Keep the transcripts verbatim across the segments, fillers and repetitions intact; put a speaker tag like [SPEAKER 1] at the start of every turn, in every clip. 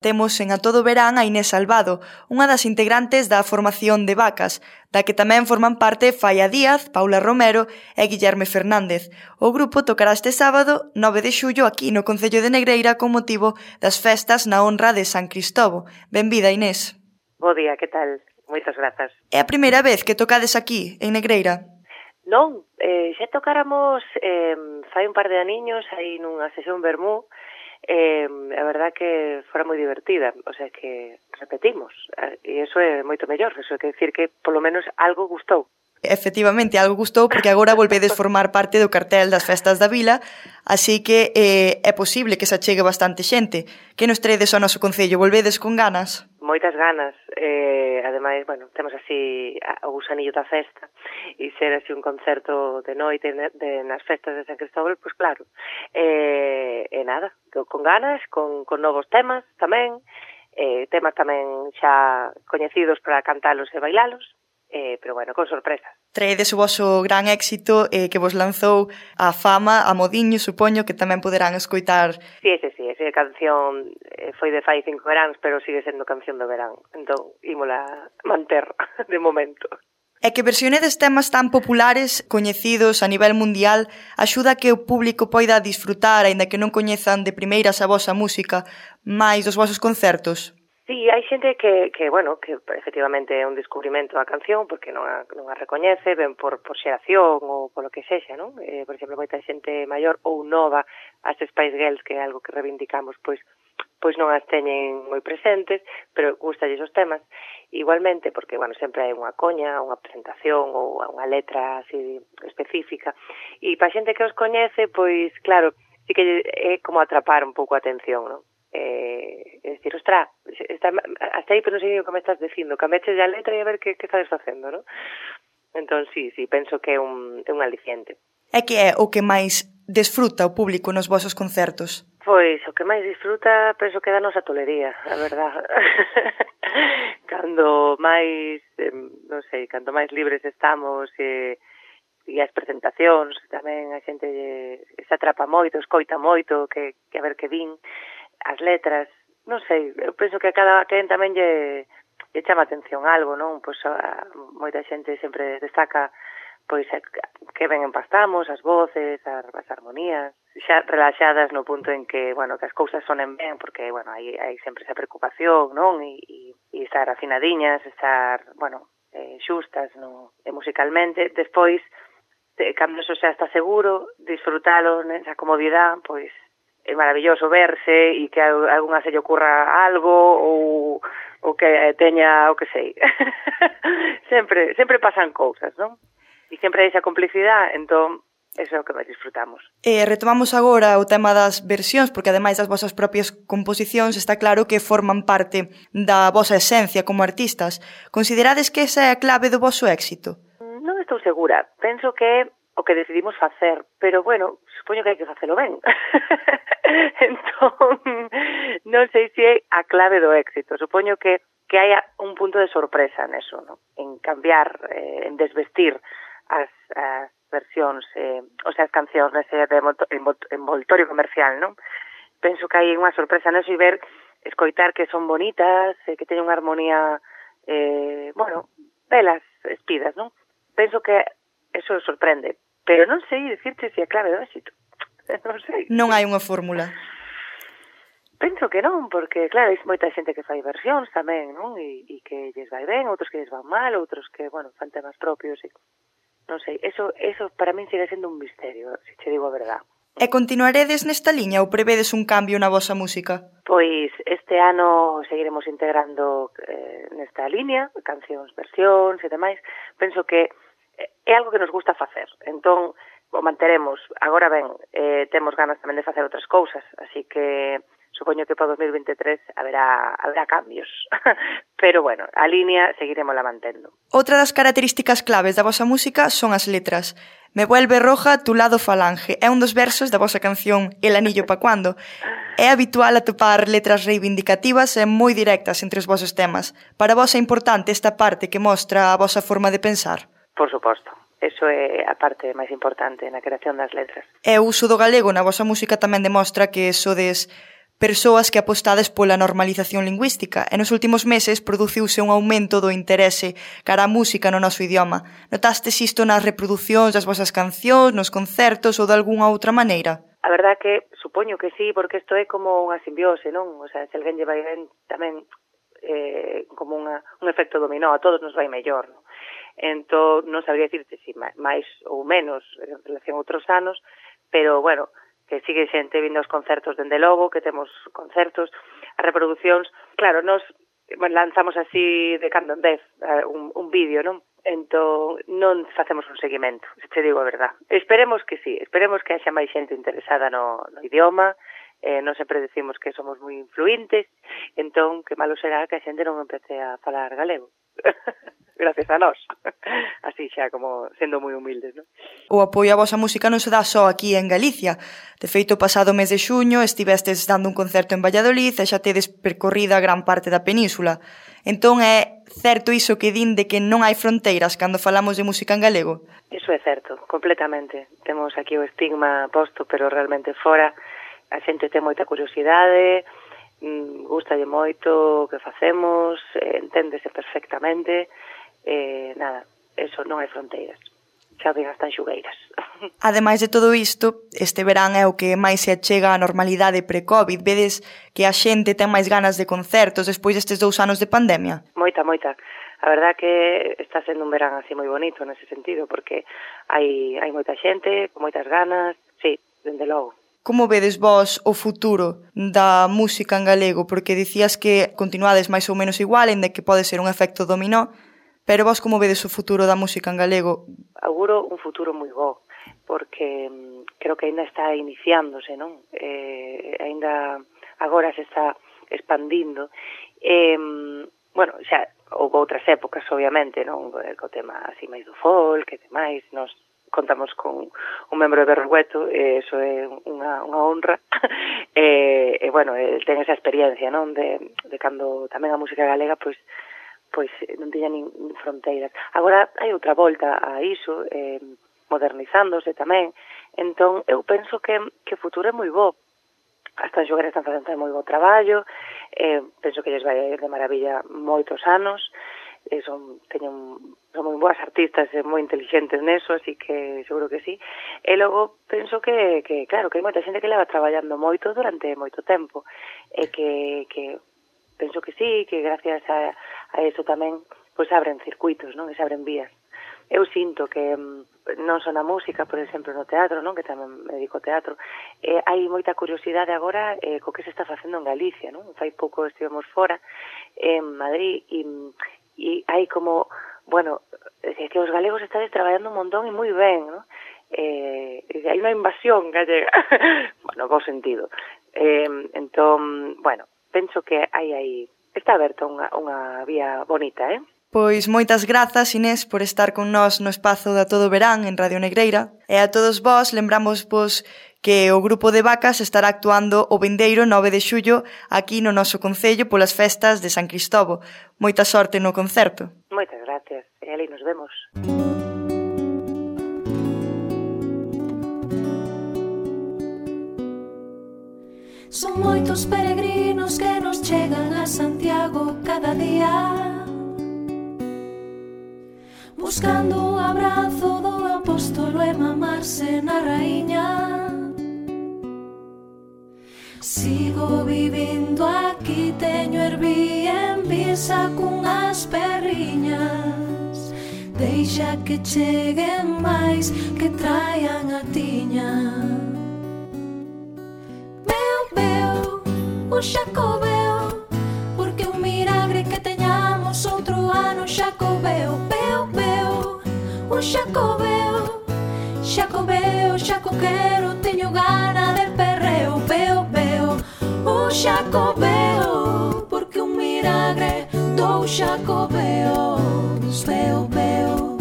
[SPEAKER 1] Temos en A Todo Verán a Inés Salvado, unha das integrantes da formación de Vacas, da que tamén forman parte Faia Díaz, Paula Romero e Guillerme Fernández. O grupo tocará este sábado, nove de xullo, aquí no Concello de Negreira con motivo das festas na honra de San Cristovo. Benvida, Inés.
[SPEAKER 2] Bo día, que tal? Moitas grazas.
[SPEAKER 1] É a primeira vez que tocades aquí, en Negreira?
[SPEAKER 2] Non, eh, xa tocáramos eh, fai un par de aniños aí nunha sesión vermú. Eh, a verdad que fora moi divertida, o sea que repetimos, e iso é moito mellor, iso é que decir que polo menos algo gustou.
[SPEAKER 1] Efectivamente, algo gustou porque agora volvedes formar parte do cartel das festas da vila, así que eh, é posible que se achegue bastante xente. Que nos traedes ao noso concello? Volvedes con ganas?
[SPEAKER 2] Moitas ganas, eh, ademais, bueno, temos así o gusanillo da festa e ser así un concerto de noite de, de, nas festas de San Cristóbal, pois pues claro, e, eh, e nada, con ganas, con, con novos temas tamén, eh, temas tamén xa coñecidos para cantalos e bailalos, eh, pero bueno, con sorpresas.
[SPEAKER 1] Traedes o voso gran éxito eh, que vos lanzou a fama, a Modiño, supoño, que tamén poderán escoitar.
[SPEAKER 2] Sí, ese sí, esa canción eh, foi de fai cinco veráns, pero sigue sendo canción do verán, entón ímola manter de momento.
[SPEAKER 1] É que versionedes temas tan populares, coñecidos a nivel mundial, axuda a que o público poida disfrutar, aínda que non coñezan de primeiras a vosa música, máis dos vosos concertos?
[SPEAKER 2] Sí, hai xente que, que, bueno, que efectivamente é un descubrimento da canción porque non a, non a recoñece, ben por, por xeración ou polo que sexa, non? Eh, por exemplo, moita xente maior ou nova, as Spice Girls, que é algo que reivindicamos, pois pois non as teñen moi presentes, pero gustalles os temas. Igualmente, porque, bueno, sempre hai unha coña, unha presentación ou unha letra así específica. E para xente que os coñece, pois, claro, sí que é como atrapar un pouco a atención, non? Eh, é dicir, ostra, está, hasta aí pero non sei o que me estás dicindo, cameches a letra e a ver que, que estás facendo, non? Entón, sí, sí, penso que é un, é un aliciente.
[SPEAKER 1] É que é o que máis desfruta o público nos vosos concertos?
[SPEAKER 2] Pois, o que máis disfruta, penso que da nosa tolería, a verdad. Cando máis, eh, non sei, cando máis libres estamos e, e as presentacións, tamén a xente se atrapa moito, escoita moito, que, que a ver que vin, as letras, non sei, eu penso que a cada quen tamén lle, lle chama atención algo, non? Pois a, moita xente sempre destaca pois que ben empastamos, as voces, as, as armonías, xa relaxadas no punto en que, bueno, que as cousas sonen ben, porque, bueno, hai, hai sempre esa preocupación, non? E, e, e estar afinadiñas, estar, bueno, eh, xustas, no? E musicalmente, despois, de, cando eso xa está seguro, disfrutalo nesa comodidade, pois, é maravilloso verse e que a algunha se lle ocurra algo ou, ou que teña o que sei. sempre sempre pasan cousas, non? E sempre hai esa complicidade, entón, eso é o que máis disfrutamos.
[SPEAKER 1] E retomamos agora o tema das versións, porque ademais das vosas propias composicións está claro que forman parte da vosa esencia como artistas. Considerades que esa é a clave do voso éxito?
[SPEAKER 2] Non estou segura. Penso que o que decidimos facer, pero bueno, supoño que hai que facelo ben. Entón, non sei se é a clave do éxito. Supoño que que hai un punto de sorpresa neso, ¿no? En cambiar, eh, en desvestir as, as versións, eh, o sea, as cancións nese de envoltorio comercial, non? Penso que hai unha sorpresa neso e ver, escoitar que son bonitas, eh, que teñen unha armonía, eh, bueno, belas, espidas, non? Penso que eso sorprende, pero non sei dicirte se é clave do éxito. Non sei.
[SPEAKER 1] Non hai unha fórmula.
[SPEAKER 2] Penso que non, porque, claro, hai moita xente que fai versións tamén, non? E, e que lles vai ben, outros que lles van mal, outros que, bueno, fan temas propios e... Non sei, eso, eso para min sigue sendo un misterio, se che digo a verdad.
[SPEAKER 1] E continuaredes nesta liña ou prevedes un cambio na vosa música?
[SPEAKER 2] Pois este ano seguiremos integrando eh, nesta liña, cancións, versións e demais. Penso que é algo que nos gusta facer, entón o manteremos. Agora ben, eh, temos ganas tamén de facer outras cousas, así que supoño que para dos mil vinte e tres haberá, haberá cambios. Pero bueno, a línea seguiremosla mantendo.
[SPEAKER 1] Outra das características claves da vosa música son as letras. Me vuelve roja tu lado falange. É un dos versos da vosa canción El anillo pa cuando. É habitual atopar letras reivindicativas e moi directas entre os vosos temas. Para vos é importante esta parte que mostra a vosa forma de pensar?
[SPEAKER 2] Por suposto. Eso é a parte máis importante na creación das letras.
[SPEAKER 1] E o uso do galego na vosa música tamén demostra que sodes persoas que apostades pola normalización lingüística e nos últimos meses produciuse un aumento do interese cara á música no noso idioma. Notastes isto nas reproducións das vosas cancións, nos concertos ou de algunha outra maneira?
[SPEAKER 2] A verdad que supoño que sí, porque isto é como unha simbiose, non? O sea, se alguén lle vai ben tamén eh, como unha, un efecto dominó, a todos nos vai mellor, non? Entón, non sabría dicirte si máis ou menos en relación a outros anos, pero, bueno, que sigue xente vindo aos concertos dende logo, que temos concertos, as reproduccións, claro, nos bueno, lanzamos así de cando en vez un, un vídeo, non? Entón, non facemos un seguimento, se te digo a verdad. Esperemos que sí, esperemos que haxa máis xente interesada no, no idioma, eh, non sempre decimos que somos moi influentes, entón, que malo será que a xente non empece a falar galego. Gracias a nós. Así xa, como sendo moi humildes, non?
[SPEAKER 1] O apoio á vosa música non se dá só aquí en Galicia. De feito, o pasado mes de xuño estivestes dando un concerto en Valladolid e xa tedes percorrida gran parte da península. Entón, é certo iso que din de que non hai fronteiras cando falamos de música en galego?
[SPEAKER 2] Iso é certo, completamente. Temos aquí o estigma posto, pero realmente fora a xente ten moita curiosidade, gustalle moito o que facemos, enténdese perfectamente. Eh, nada, eso non hai fronteiras, xa ven as tanxugueiras.
[SPEAKER 1] Ademais de todo isto, este verán é o que máis se achega á normalidade pre-COVID. Vedes que a xente ten máis ganas de concertos despois destes dous anos de pandemia?
[SPEAKER 2] Moita, moita. A verdad que está sendo un verán así moi bonito nese sentido, porque hai, hai moita xente, con moitas ganas, sí, dende logo.
[SPEAKER 1] Como vedes vos o futuro da música en galego? Porque dicías que continuades máis ou menos igual, en de que pode ser un efecto dominó, pero vos como vedes o futuro da música en galego?
[SPEAKER 2] Auguro un futuro moi bo, porque creo que ainda está iniciándose, non? Eh, ainda agora se está expandindo. Eh, bueno, xa houve outras épocas, obviamente, non? Co tema así máis do folk, que demais, nos contamos con un membro de Berrueto, e iso é unha, unha honra, e, e, bueno, ten esa experiencia, non? De, de cando tamén a música galega, pois, pois non tiña nin fronteiras. Agora hai outra volta a iso, eh, modernizándose tamén, entón eu penso que, que o futuro é moi bo. As tanxugueiras están facendo moi bo traballo, eh, penso que lles vai ir de maravilla moitos anos, eh, son, teñen, son moi boas artistas e moi inteligentes neso, así que seguro que sí. E logo penso que, que claro, que hai moita xente que leva traballando moito durante moito tempo, e que, que penso que sí, que gracias a, a eso tamén pois abren circuitos, non? E se abren vías. Eu sinto que non só na música, por exemplo, no teatro, non? Que tamén me dedico ao teatro, eh, hai moita curiosidade agora eh, co que se está facendo en Galicia, non? Fai pouco estivemos fora, en Madrid, e, e hai como, bueno, que os galegos estades traballando un montón e moi ben, non? Eh, hai unha invasión gallega, bueno, bo sentido. Eh, entón, bueno, penso que hai aí, está aberta unha, unha vía bonita, eh?
[SPEAKER 1] Pois moitas grazas, Inés, por estar con nós no espazo da Todo Verán en Radio Negreira. E a todos vós lembramos vos que o grupo de Vacas estará actuando o vindeiro nove de xullo aquí no noso concello polas festas de San Cristovo. Moita sorte no concerto.
[SPEAKER 2] Moitas gracias, e ali nos vemos.
[SPEAKER 3] Son moitos peregrinos que nos chegan a Santiago cada día, buscando o abrazo do apóstolo e mamarse na raíña. Sigo vivindo aquí, teño Airbnb cunhas perriñas. Deixa que cheguen máis, que traian a tiña. Veo, veo, o Xacobeo, porque un milagre que teñamos outro ano. Xacobeo, veo, veo, o Xacobeo, Xacobeo, Xaco quero, teño gana de perreo. Veo, veo, o Xacobeo, porque un milagre do Xacobeos. Veo, veo,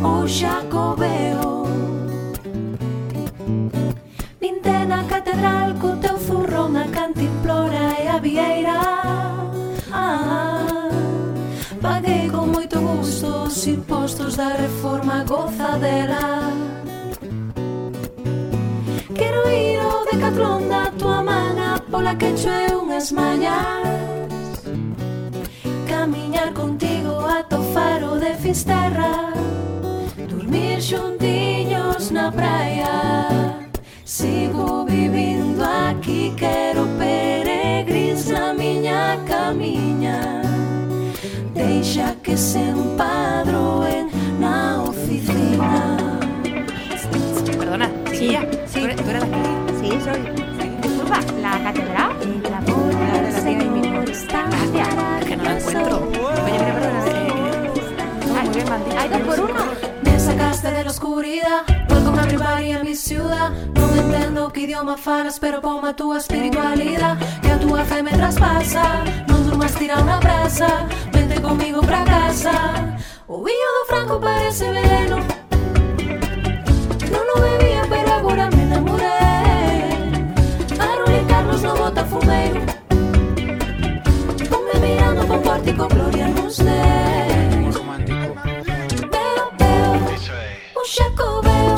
[SPEAKER 3] o Xacobeo. Vinte na catedral co teu zurrón, a cantimplora e a vieira. Ah, paguei con moito gusto os impostos da reforma gozadera. Quero ir ao Decatlón da tua sola que chue unhas mallas, camiñar contigo ata o faro de Fisterra, dormir xuntiños na praia. Sigo vivindo aquí, quero peregrins na miña camiña. Deixa que se empadroen na oficina.
[SPEAKER 4] Perdona,
[SPEAKER 5] Sí,
[SPEAKER 4] sí.
[SPEAKER 5] sí.
[SPEAKER 4] ¿Tú eres de aquí?
[SPEAKER 5] Sí, soy. Disculpa, ¿la catedral?
[SPEAKER 3] El amor del Señor está.
[SPEAKER 4] Gracias, es que no la encuentro. Oye, mira, perdona, eh, muy bien, Mandy.
[SPEAKER 5] ¿Hay dos por uno?
[SPEAKER 3] Me sacaste de la oscuridad, welcome everybody a mi ciudad. Non entendo que idioma falas, pero poma a túa espiritualidade, que a túa fe me traspasa. Non durmas tirado na brasa, vente comigo pra casa. O viño do Franco parece veneno, non o bebía, pero agora me enamoré. Aroli Carlos no bota fumeiro, ponme mirando pa un pórtico, gloria nos dé. Xaco veo,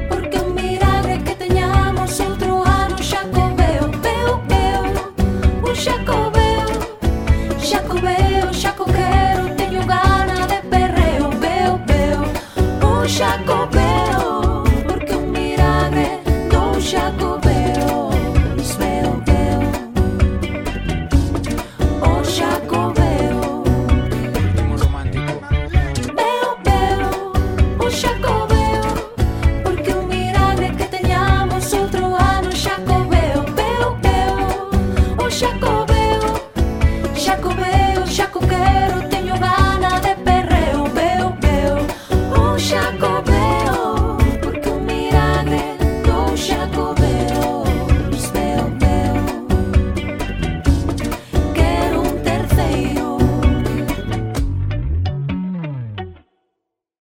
[SPEAKER 3] porque un milagre que teñamos outro ano. Xaco veo, veo, veo, un xaco veo, xaco veo, xaco quero, teño gana de perreo. Veo, veo, un xaco veo, porque un milagre do xaco veo. Veo, veo, o xaco veo, veo, veo, un xaco veo, porque un milagre que teñamos outro ano. Xaco veo, veo, veo, o xaco